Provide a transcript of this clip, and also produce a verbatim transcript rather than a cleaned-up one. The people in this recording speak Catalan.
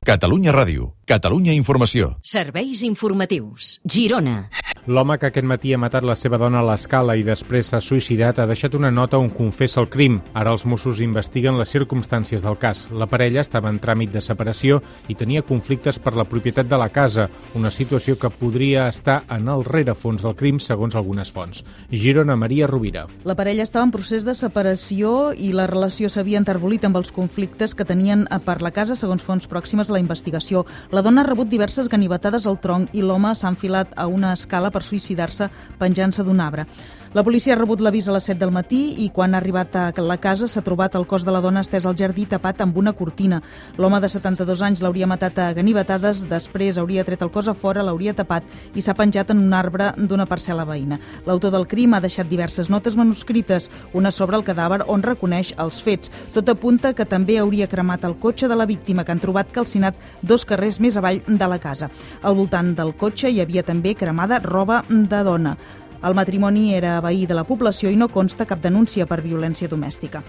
Catalunya Ràdio, Catalunya Informació. Serveis informatius. Girona. L'home que aquest matí ha matat la seva dona a l'escala i després s'ha suïcidat ha deixat una nota on confessa el crim. Ara els Mossos investiguen les circumstàncies del cas. La parella estava en tràmit de separació i tenia conflictes per la propietat de la casa, una situació que podria estar en el rerefons del crim, segons algunes fonts. Girona, Maria Rovira. La parella estava en procés de separació i la relació s'havia enterbolit amb els conflictes que tenien per la casa, segons fonts pròximes a la investigació. La dona ha rebut diverses ganivetades al tronc i l'home s'ha enfilat a una escala per suïcidar-se penjant-se d'un arbre. La policia ha rebut l'avís a les set del matí i quan ha arribat a la casa s'ha trobat el cos de la dona estès al jardí tapat amb una cortina. L'home de setanta-dos anys l'hauria matat a ganivetades, després hauria tret el cos a fora, l'hauria tapat i s'ha penjat en un arbre d'una parcel·la veïna. L'autor del crim ha deixat diverses notes manuscrites, una sobre el cadàver on reconeix els fets. Tot apunta que també hauria cremat el cotxe de la víctima, que han trobat calcinat dos carrers més avall de la casa. Al voltant del cotxe hi havia també cremada roba de dona. El matrimoni era veí de la població i no consta cap denúncia per violència domèstica.